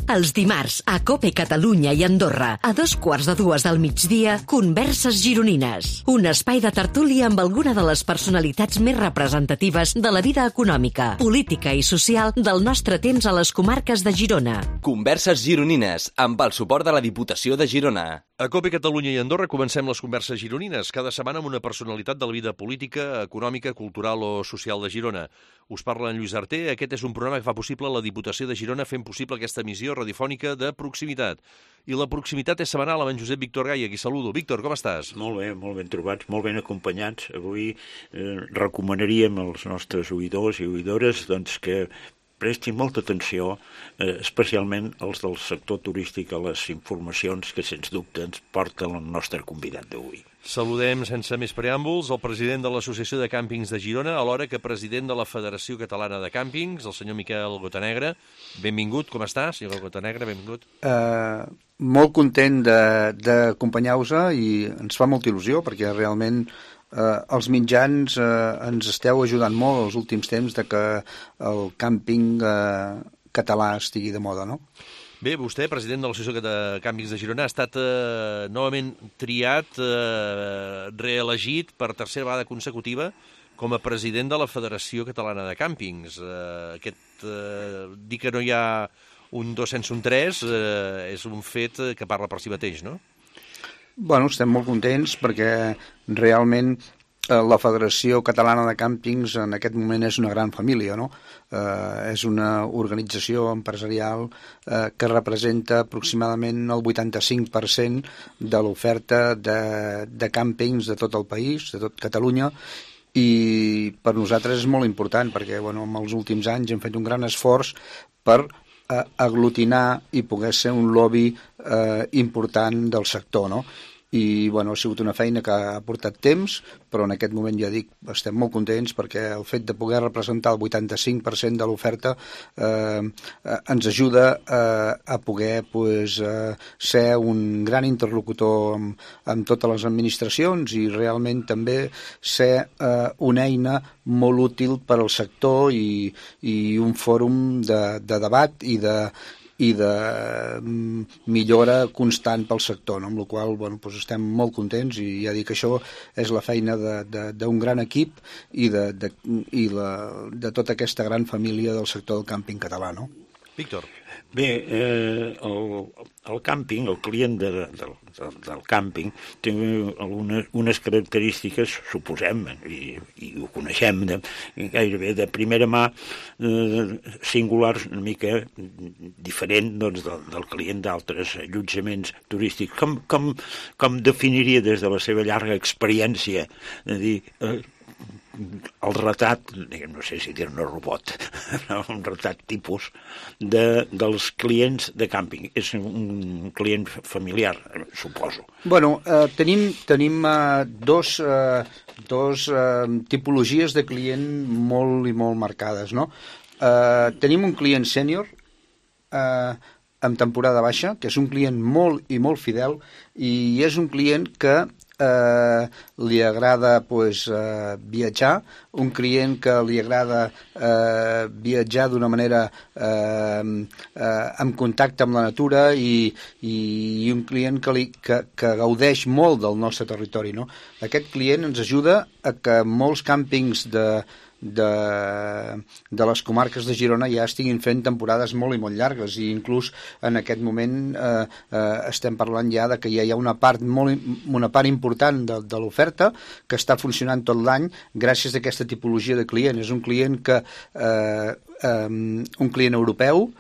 Els dimarts, a COPE Catalunya i Andorra, a 2:15 del migdia, Converses Gironines. Un espai de tertúlia amb alguna de les personalitats més representatives de la vida econòmica, política i social del nostre temps a les comarques de Girona. Converses Gironines, amb el suport de la Diputació de Girona. A COPE Catalunya i Andorra comencem les Converses Gironines, cada setmana amb una personalitat de la vida política, econòmica, cultural o social de Girona. Us parla en Lluís Arter. Aquest és un programa que fa possible la Diputació de Girona fent possible aquesta emissió radiofònica de proximitat. I la proximitat és setmanal amb en Josep Víctor Gai, a qui saludo. Víctor, com estàs? Molt ben trobats, molt ben acompanyats. Avui recomanaríem als nostres oïdors i oïdores doncs, que prestin molta atenció, especialment els del sector turístic, a les informacions que, sens dubte, ens porta el nostre convidat d'avui. Saludem, sense més preàmbuls, el president de l'Associació de Càmpings de Girona, alhora que president de la Federació Catalana de Càmpings, el senyor Miquel Gotanegre. Benvingut, com està, senyor Gotanegre? Benvingut. Molt content d'acompanyar-vos i ens fa molta il·lusió, perquè realment els mitjans ens esteu ajudant molt els últims temps de que el càmping català estigui de moda, no? Bé, vostè, president de l'Associació de Càmpings de Girona, ha estat novament triat, reelegit per tercera vegada consecutiva com a president de la Federació Catalana de Càmpings. Dir que no hi ha un 2 sense un 3 és un fet que parla per si mateix, no? Bueno, estem molt contents perquè realment la Federació Catalana de Càmpings en aquest moment és una gran família, no? És una organització empresarial que representa aproximadament el 85% de l'oferta de càmpings de tot el país, de tot Catalunya, i per nosaltres és molt important perquè en els últims anys hem fet un gran esforç per aglutinar i poder ser un lobby important del sector, no? I ha sigut una feina que ha portat temps, però en aquest moment ja dic, estem molt contents perquè el fet de poder representar el 85% de l'oferta ens ajuda a poder ser un gran interlocutor amb totes les administracions i realment també ser una eina molt útil per al sector i un fòrum de debat i de millora constant pel sector, no? Amb la qual cosa estem molt contents i ja dic que això és la feina d'un gran equip i de tota aquesta gran família del sector del càmping català, no? Víctor. Bé, el càmping, el client del càmping té unes característiques, suposem, i ho coneixem gairebé de primera mà, singulars, una mica diferent del client d'altres allotjaments turístics. Com definiria des de la seva llarga experiència de dir el retrat, no sé si dir-ne robot, un retrat tipus dels clients de càmping? És un client familiar, suposo. Tenim dos tipologies de client molt i molt marcades, no? Tenim un client sènior en temporada baixa, que és un client molt i molt fidel, i és un client que li agrada viatjar, un client que li agrada viatjar d'una manera en contacte amb la natura i un client que gaudeix molt del nostre territori, no? Aquest client ens ajuda a que molts càmpings de les comarques de Girona ja estiguin fent temporades molt i molt llargues i inclús en aquest moment estem parlant ja de que ja hi ha una part important de l'oferta que està funcionant tot l'any gràcies a aquesta tipologia de client. És un client un client europeu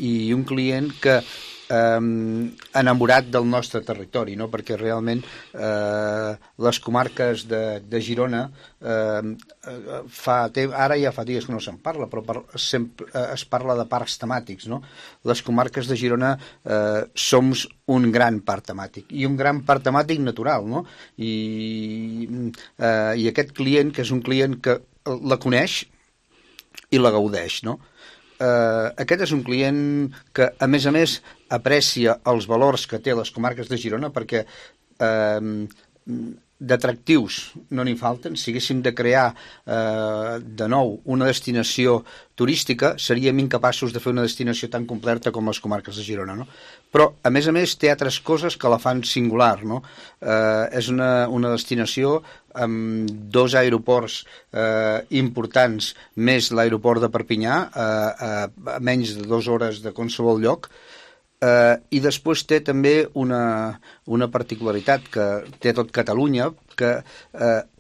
i un client que enamorat del nostre territori, no? Perquè realment les comarques de Girona ara ja fa dies que no se'n parla, però sempre es parla de parcs temàtics, no? Les comarques de Girona som un gran parc temàtic i un gran parc temàtic natural, no? I aquest client, que és un client que la coneix i la gaudeix, no? Aquest és un client que, a més, aprecia els valors que té les comarques de Girona perquè d'atractius no n'hi falten. Si haguéssim de crear de nou una destinació turística, seríem incapaços de fer una destinació tan completa com les comarques de Girona, no? Però, a més, té altres coses que la fan singular, no? És una destinació amb 2 aeroports importants, més l'aeroport de Perpinyà, a menys de 2 hores de qualsevol lloc. I després té també una particularitat que té tot Catalunya, que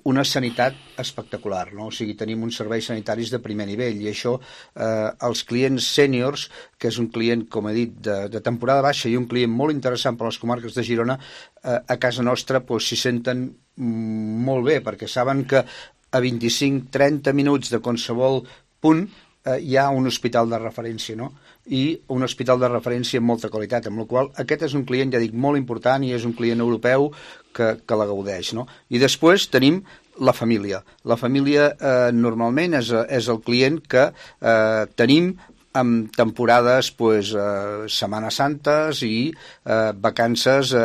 una sanitat espectacular, no? O sigui, tenim uns serveis sanitaris de primer nivell, i això els clients sèniors, que és un client, com he dit, de temporada baixa i un client molt interessant per a les comarques de Girona, a casa nostra s'hi senten molt bé, perquè saben que a 25-30 minuts de qualsevol punt hi ha un hospital de referència, no? I un hospital de referència amb molta qualitat, amb la qual aquest és un client, ja dic, molt important, i és un client europeu que la gaudeix, no? I després tenim la família. La família normalment és el client que tenim amb temporades, Setmanes Santes i vacances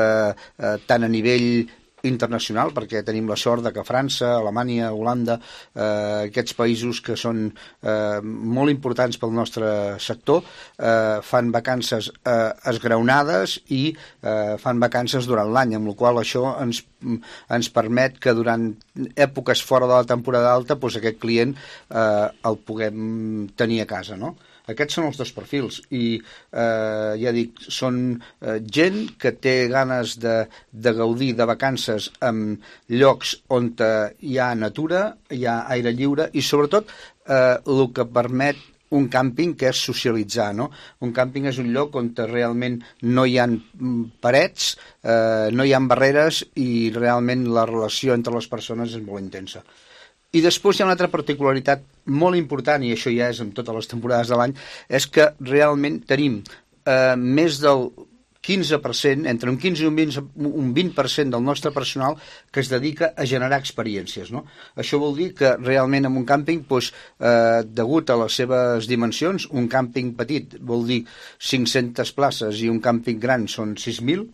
tant a nivell internacional, perquè tenim la sort de que França, Alemanya, Holanda, aquests països que són molt importants pel nostre sector, fan vacances esgraonades i fan vacances durant l'any, amb la qual això ens permet que durant èpoques fora de la temporada alta aquest client el puguem tenir a casa, no? Aquests són els 2 perfils i ja dic, són gent que té ganes de gaudir de vacances en llocs on hi ha natura, hi ha aire lliure i sobretot el que permet un càmping, que és socialitzar, no? Un càmping és un lloc on realment no hi ha parets, no hi ha barreres i realment la relació entre les persones és molt intensa. I després hi ha una altra particularitat molt important, i això ja és en totes les temporades de l'any, és que realment tenim més del 15%, entre un 15 i un 20% del nostre personal que es dedica a generar experiències, no? Això vol dir que realment en un càmping, degut a les seves dimensions, un càmping petit vol dir 500 places i un càmping gran són 6.000,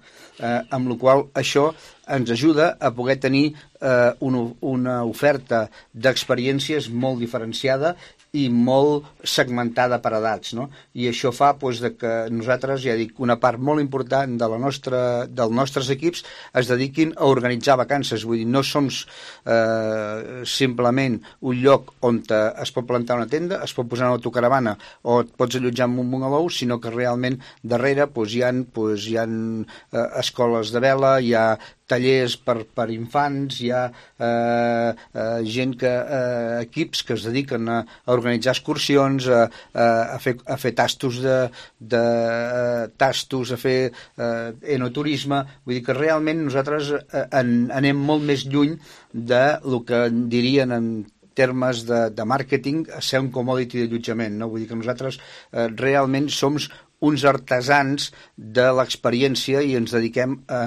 amb la qual això ens ajuda a poder tenir una oferta d'experiències molt diferenciada i molt segmentada per edats, no? I això fa que nosaltres, ja dic, una part molt important dels nostres equips es dediquin a organitzar vacances. Vull dir, no som simplement un lloc on es pot plantar una tenda, es pot posar una autocaravana o et pots allotjar en un bungalou, sinó que realment darrere hi ha escoles de vela, hi ha tallers per infants, hi ha equips que es dediquen a organitzar excursions, a fer tastos, a fer enoturisme. Vull dir que realment nosaltres anem molt més lluny del que dirien en termes de màrqueting a ser un commodity d'allotjament, no? Vull dir que nosaltres realment som uns artesans de l'experiència i ens dediquem a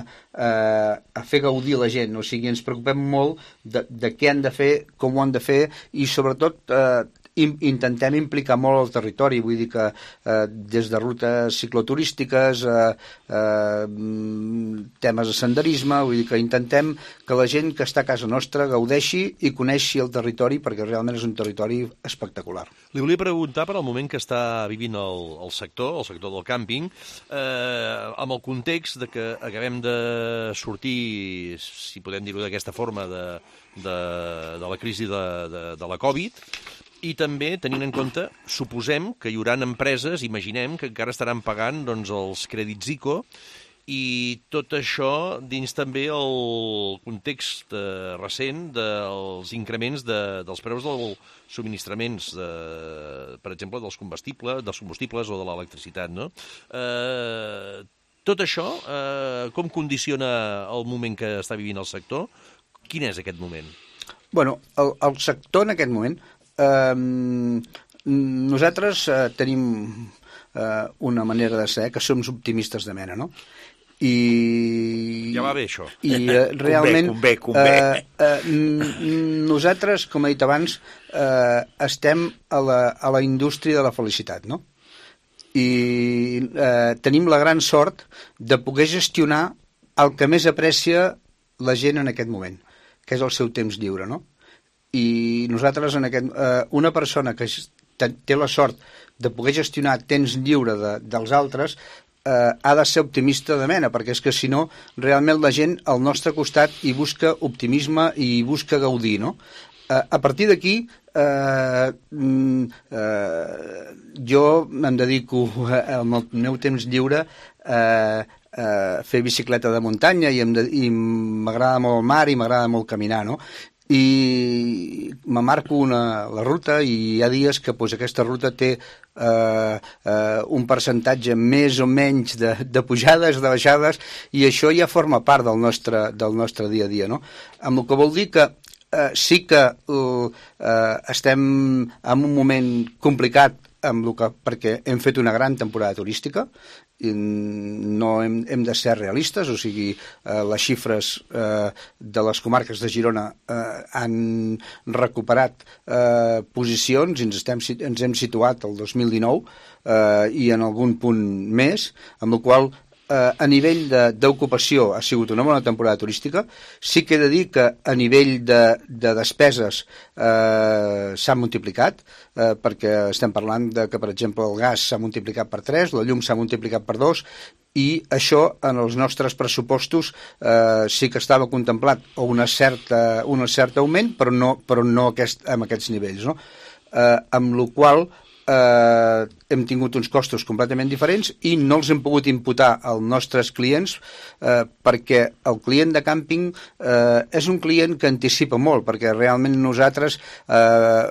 fer gaudir la gent, o sigui, ens preocupem molt de què han de fer, com ho han de fer i sobretot intentem implicar molt el territori, vull dir que des de rutes cicloturístiques, temes de senderisme, vull dir que intentem que la gent que està a casa nostra gaudeixi i coneixi el territori, perquè realment és un territori espectacular. Li volia preguntar per al moment que està vivint el sector del càmping, amb el context de que acabem de sortir, si podem dir-ho d'aquesta forma, de la crisi de la Covid, i també tenint en compte, suposem que hi haurà empreses, imaginem, que encara estaran pagant els crèdits ICO, i tot això dins també el context recent dels increments dels preus dels subministraments, per exemple, dels combustibles o de l'electricitat, no? Tot això, com condiciona el moment que està vivint el sector? Quin és aquest moment? Bueno, el sector en aquest moment, nosaltres tenim una manera de ser que som optimistes de mena, no? I ja va bé, això. I realment convé. Nosaltres, com he dit abans, estem a la indústria de la felicitat, no? I tenim la gran sort de poder gestionar el que més aprecia la gent en aquest moment. que és el seu temps lliure, no? I nosaltres, una persona que té la sort de poder gestionar temps lliure dels altres, ha de ser optimista de mena, perquè és que si no, realment la gent al nostre costat hi busca optimisme i hi busca gaudir, no? A partir d'aquí, jo em dedico amb el meu temps lliure a fer bicicleta de muntanya i m'agrada molt el mar i m'agrada molt caminar, no? I me marco la ruta i hi ha dies que aquesta ruta té un percentatge més o menys de pujades, de baixades, i això ja forma part del nostre dia a dia, no? Amb el que vol dir que sí que estem en un moment complicat perquè hem fet una gran temporada turística, no hem de ser realistes, o sigui, les xifres de les comarques de Girona han recuperat posicions i ens hem situat el 2019 i en algun punt més, amb el qual a nivell d'ocupació ha sigut una bona temporada turística. Sí que he de dir que a nivell de despeses s'ha multiplicat, perquè estem parlant que, per exemple, el gas s'ha multiplicat per 3, la llum s'ha multiplicat per 2, i això en els nostres pressupostos sí que estava contemplat un cert augment, però no amb aquests nivells, no? Amb la qual hem tingut uns costos completament diferents i no els hem pogut imputar als nostres clients, perquè el client de càmping és un client que anticipa molt, perquè realment nosaltres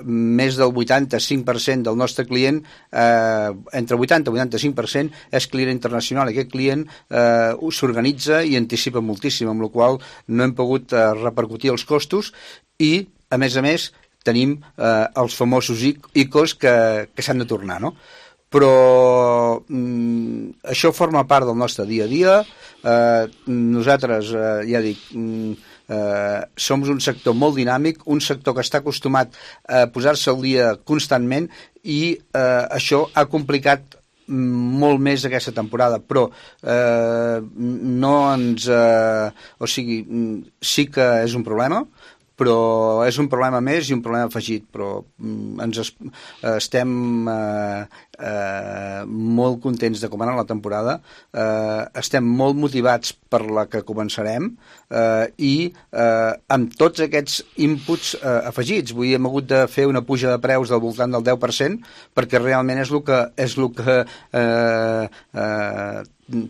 més del 85% del nostre client, entre 80 i 85% és client internacional. Aquest client s'organitza i anticipa moltíssim, amb la qual no hem pogut repercutir els costos i, a més, tenim els famosos ICOs que s'han de tornar, no? Però això forma part del nostre dia a dia. Nosaltres, ja dic, som un sector molt dinàmic, un sector que està acostumat a posar-se al dia constantment i això ha complicat molt més aquesta temporada, però no ens... o sigui, sí que és un problema, però és un problema més i un problema afegit, però estem molt contents de com anar la temporada, estem molt motivats per la que començarem i amb tots aquests inputs afegits. Vull dir, hem hagut de fer una puja de preus del voltant del 10% perquè realment és el que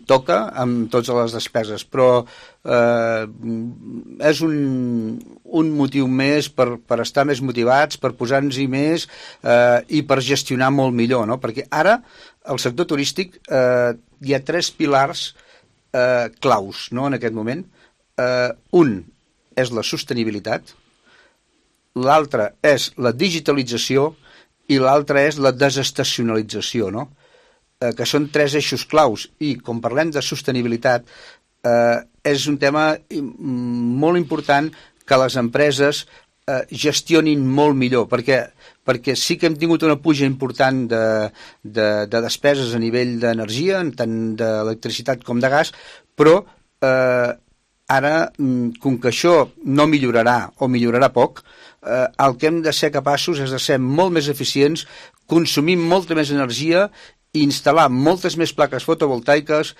toca amb totes les despeses, però és un motiu més per estar més motivats, per posar-nos-hi més i per gestionar molt millor, no? Perquè ara al sector turístic hi ha 3 pilars claus, no, en aquest moment. Un és la sostenibilitat, l'altre és la digitalització i l'altre és la desestacionalització, no? Que són 3 eixos claus, i com parlem de sostenibilitat és un tema molt important que les empreses gestionin molt millor, perquè sí que hem tingut una puja important de despeses a nivell d'energia, tant d'electricitat com de gas, però ara, com que això no millorarà o millorarà poc, el que hem de ser capaços és de ser molt més eficients, consumir molta més energia, instal·lar moltes més plaques fotovoltaiques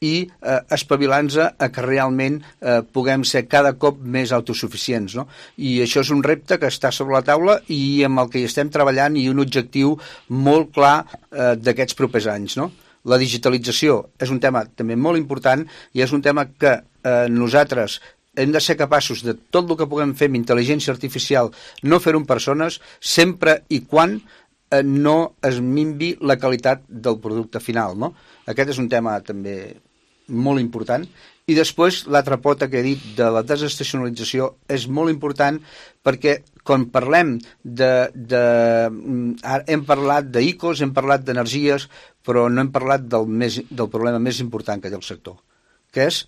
i espavilant-nos a que realment puguem ser cada cop més autosuficients, no? I això és un repte que està sobre la taula i amb el que hi estem treballant, i un objectiu molt clar d'aquests propers anys, no? La digitalització és un tema també molt important i és un tema que nosaltres hem de ser capaços de tot el que puguem fer amb intel·ligència artificial, no fer-ho amb persones, sempre i quan no es minvi la qualitat del producte final, no? Aquest és un tema també molt important. I després l'altra pota que he dit de la desestacionalització és molt important perquè quan parlem hem parlat d'ICOs, hem parlat d'energies, però no hem parlat del problema més important que té el sector, que és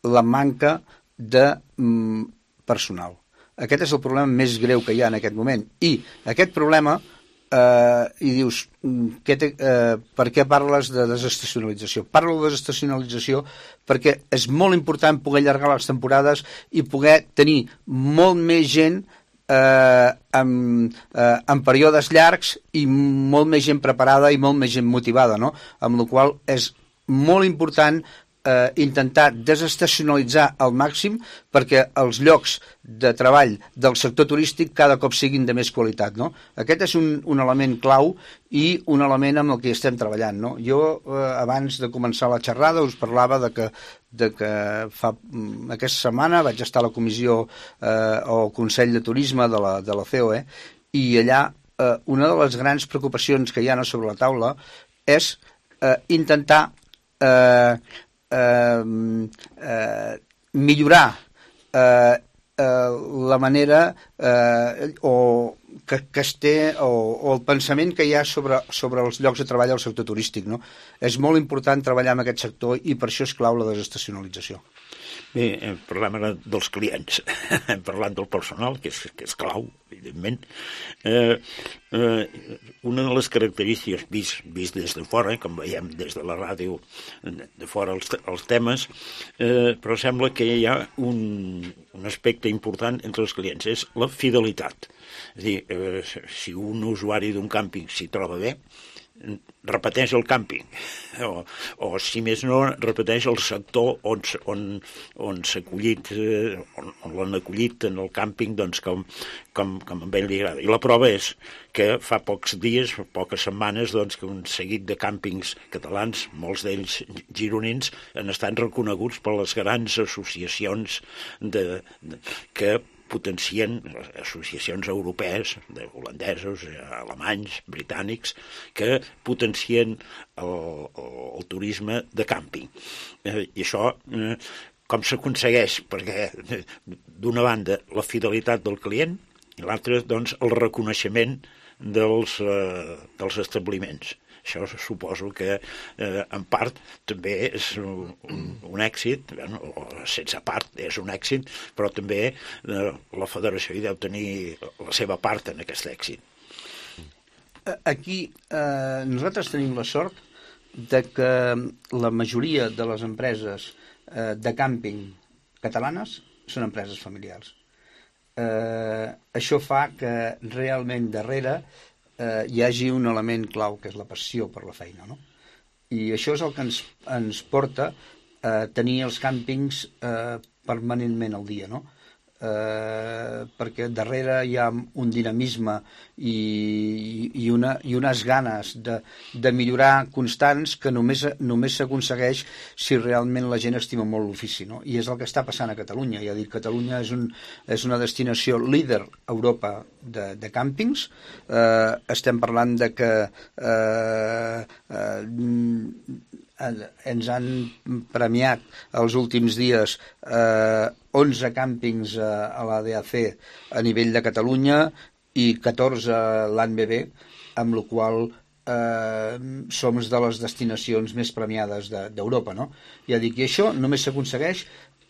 la manca de personal. Aquest és el problema més greu que hi ha en aquest moment, i aquest problema i dius, per què parles de desestacionalització? Parlo de desestacionalització perquè és molt important poder allargar les temporades i poder tenir molt més gent en períodes llargs i molt més gent preparada i molt més gent motivada, no? Amb la qual cosa és molt important intentar desestacionalitzar al màxim perquè els llocs de treball del sector turístic cada cop siguin de més qualitat, no? Aquest és un element clau i un element amb el que estem treballant, no? Jo, abans de començar la xerrada, us parlava de que aquesta setmana vaig estar a la comissió o Consell de Turisme de la COE i allà una de les grans preocupacions que hi ha sobre la taula és intentar millorar la manera que es té o el pensament que hi ha sobre els llocs de treball al sector turístic, no? És molt important treballar en aquest sector i per això és clau la desestacionalització. Bé, parlem ara dels clients, hem parlat del personal, que és clau, evidentment. Una de les característiques, vist des de fora, com veiem des de la ràdio, de fora els temes, però sembla que hi ha un aspecte important entre els clients, és la fidelitat. És a dir, si un usuari d'un càmping s'hi troba bé, repeteix el càmping o si més no repeteix el sector on s'ha acollit, on l'han acollit en el càmping, doncs com a ell li agrada. I la prova és que fa pocs dies, poques setmanes, doncs, que un seguit de càmpings catalans, molts d'ells gironins, han estat reconeguts per les grans associacions que potencien associacions europees, holandesos, alemanys, britànics, que potencien el turisme de càmping. I això com s'aconsegueix? Perquè, d'una banda, la fidelitat del client i l'altra, doncs, el reconeixement dels establiments. Això suposo que, en part, també és un èxit, o sense part és un èxit, però també la federació hi deu tenir la seva part en aquest èxit. Aquí nosaltres tenim la sort de que la majoria de les empreses de càmping catalanes són empreses familiars. Això fa que realment darrere hi hagi un element clau, que és la passió per la feina, no? I això és el que ens porta a tenir els càmpings permanentment al dia, no? Perquè darrere hi ha un dinamisme i unes ganes de millorar constants que només s'aconsegueix si realment la gent estima molt l'ofici, no? I és el que està passant a Catalunya. Ja dic, Catalunya és una destinació líder a Europa de càmpings. Estem parlant de que ens han premiat els últims dies 11 càmpings a l'ADAC a nivell de Catalunya i 14 a l'ANBB, amb la qual som de les destinacions més premiades d'Europa, no? Ja dic, i això només s'aconsegueix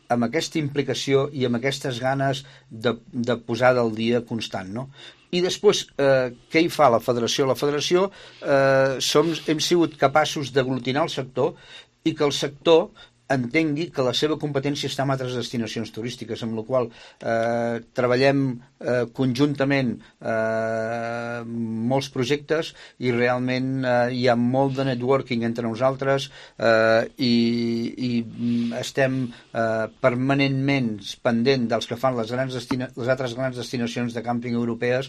amb aquesta implicació i amb aquestes ganes de posar del dia constant, no? I després, què hi fa la federació? La federació hem sigut capaços d'aglutinar el sector i que el sector entengui que la seva competència està en altres destinacions turístiques, amb la qual treballem conjuntament molts projectes i realment hi ha molt de networking entre nosaltres i estem permanentment pendent dels que fan les altres grans destinacions de càmping europees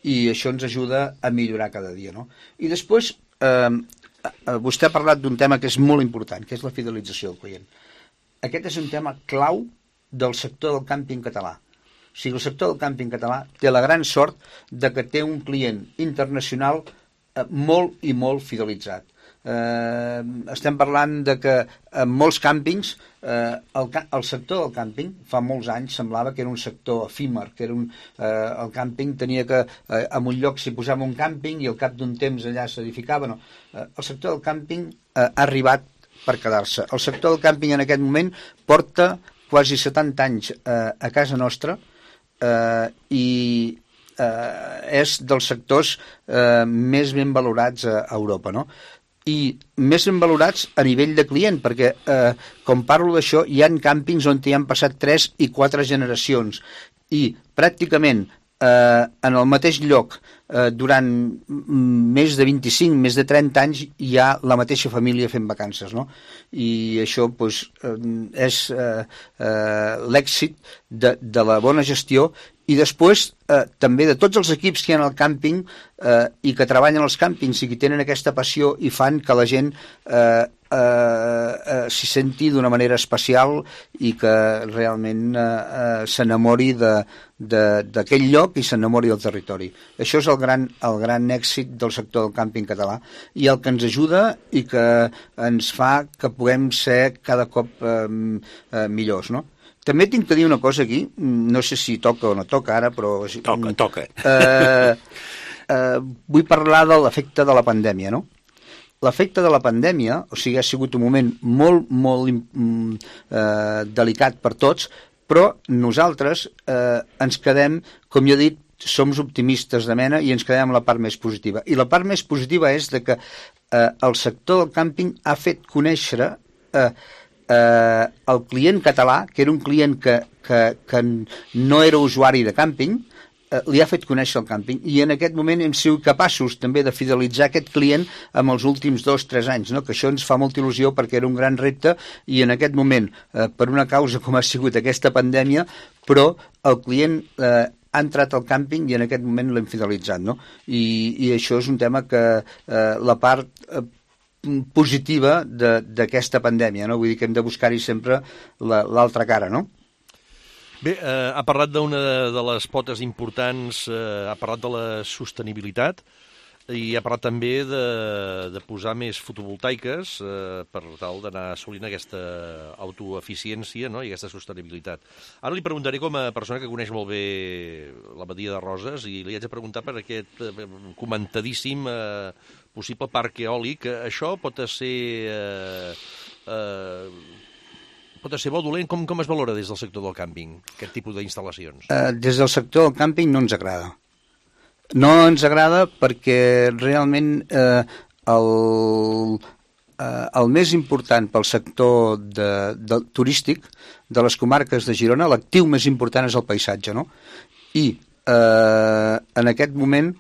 i això ens ajuda a millorar cada dia, no? I després vostè ha parlat d'un tema que és molt important, que és la fidelització del client. Aquest és un tema clau del sector del càmping català. O sigui, el sector del càmping català té la gran sort de que té un client internacional molt i molt fidelitzat. Estem parlant de que en molts càmpings el sector del càmping fa molts anys semblava que era un sector efímer, que era el càmping tenia que en un lloc s'hi posava un càmping i al cap d'un temps allà s'edificava, no. El sector del càmping ha arribat per quedar-se. El sector del càmping en aquest moment porta quasi 70 anys a casa nostra i és dels sectors més ben valorats a Europa, no? I més ben valorats a nivell de client, perquè com parlo d'això, hi ha càmpings on hi han passat 3 i 4 generacions i pràcticament en el mateix lloc durant més de 25, més de 30 anys hi ha la mateixa família fent vacances, no? I això doncs, és l'èxit de la bona gestió i després també de tots els equips que hi ha al càmping i que treballen als càmpings i que tenen aquesta passió i fan que la gent s'hi senti d'una manera especial i que realment s'enamori d'aquell lloc i s'enamori del territori. Això és el gran èxit del sector del càmping català i el que ens ajuda i que ens fa que puguem ser cada cop millors, no? També tinc que dir una cosa aquí, no sé si toca o no toca ara, però... Toca. Vull parlar de l'efecte de la pandèmia, no? L'efecte de la pandèmia, o sigui, ha sigut un moment molt, molt delicat per tots, però nosaltres ens quedem, com jo he dit, som optimistes de mena i ens quedem amb la part més positiva. I la part més positiva és de que el sector del càmping ha fet conèixer el client català, que era un client que no era usuari de càmping, li ha fet conèixer el càmping i en aquest moment hem sigut capaços també de fidelitzar aquest client amb els últims 2-3 anys, no? Que això ens fa molta il·lusió perquè era un gran repte i en aquest moment, per una causa com ha sigut aquesta pandèmia, però el client ha entrat al càmping i en aquest moment l'hem fidelitzat, no? I això és un tema que la part positiva d'aquesta pandèmia, no? Vull dir que hem de buscar-hi sempre l'altra cara, no? Bé, ha parlat d'una de les potes importants, ha parlat de la sostenibilitat i ha parlat també de posar més fotovoltaiques per tal d'anar assolint aquesta autoeficiència, no? I aquesta sostenibilitat. Ara li preguntaré com a persona que coneix molt bé la Badia de Roses i li haig de preguntar per aquest comentadíssim possible parc eòlic. Això pot ser bo o dolent? Com es valora des del sector del càmping, aquest tipus d'instal·lacions? Des del sector del càmping no ens agrada. No ens agrada perquè realment el més important pel sector turístic de les comarques de Girona, l'actiu més important és el paisatge, no? I en aquest moment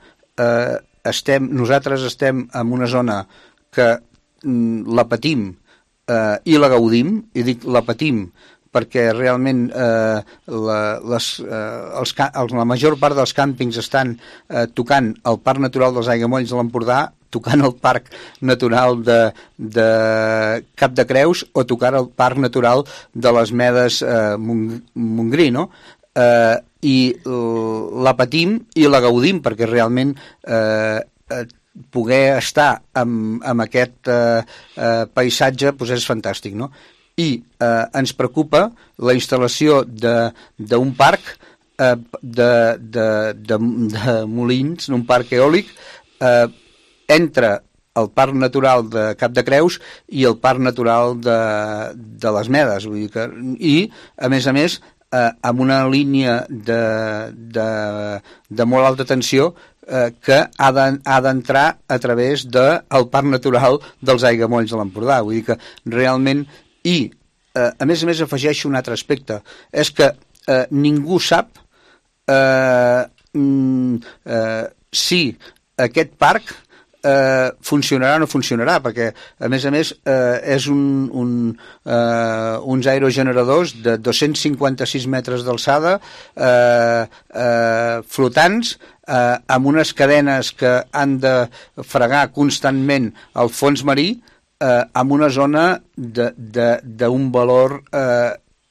nosaltres estem en una zona que la patim i la gaudim, i dic la patim perquè realment la major part dels càmpings estan tocant el Parc Natural dels Aiguamolls de l'Empordà, tocant el Parc Natural de Cap de Creus o tocant el Parc Natural de les Medes Montgrí, no? I la patim i la gaudim perquè realment poder estar amb aquest paisatge doncs és fantàstic, no? I ens preocupa la instal·lació d'un parc de molins, un parc eòlic entre el Parc Natural de Cap de Creus i el Parc Natural de les Medes, vull dir que, i a més amb una línia de molt alta tensió que ha d'entrar a través del Parc Natural dels Aiguamolls de l'Empordà. Vull dir que realment, i a més afegeixo un altre aspecte, és que ningú sap si aquest parc funcionarà o no funcionarà, perquè a més és uns aerogeneradors de 256 metres d'alçada flotants amb unes cadenes que han de fregar constantment el fons marí amb una zona d'un valor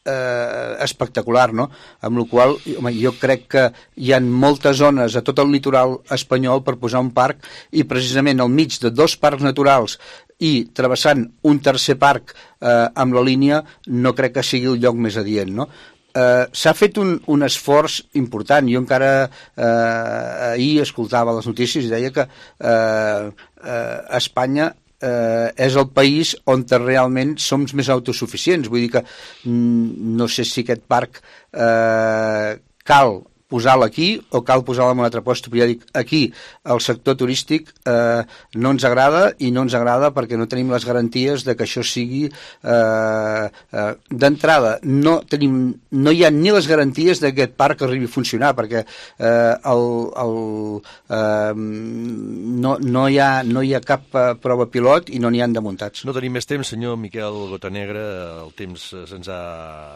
espectacular, no? Amb la qual cosa, jo crec que hi ha moltes zones a tot el litoral espanyol per posar un parc i precisament al mig de dos parcs naturals i travessant un tercer parc amb la línia no crec que sigui el lloc més adient, no? S'ha fet un esforç important. Jo encara ahir escoltava les notícies i deia que Espanya és el país on realment som més autosuficients. Vull dir que no sé si aquest parc cal posar-la aquí o cal posar-la en un altre lloc? Ja dic, aquí el sector turístic no ens agrada i no ens agrada perquè no tenim les garanties de que això sigui d'entrada. No hi ha ni les garanties de que aquest parc arribi a funcionar perquè no hi ha cap prova pilot i no n'hi han de muntats. No tenim més temps, senyor Miquel Gotanegra, el temps se'ns ha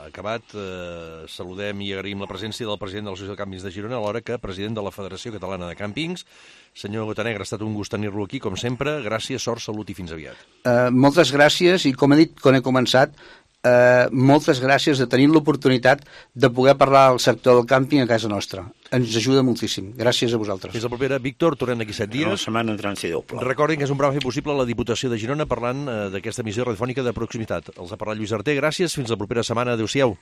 acabat. Saludem i agraïm la presència del president de l'Associació de Càmpings de Girona, alhora que president de la Federació Catalana de Càmpings. Senyor Gotanegra, ha estat un gust tenir-lo aquí, com sempre. Gràcies, sort, salut i fins aviat. Moltes gràcies i, com he dit quan he començat, moltes gràcies de tenir l'oportunitat de poder parlar del sector del càmping a casa nostra. Ens ajuda moltíssim. Gràcies a vosaltres. Fins la propera. Víctor, tornem d'aquí 7 dies. La setmana entrant si Déu plou. Recordin que és un programa fer possible a la Diputació de Girona parlant d'aquesta emissió radiofònica de proximitat. Els ha parlat Lluís Arter. Gràcies. Fins la propera setmana. Adéu-siau.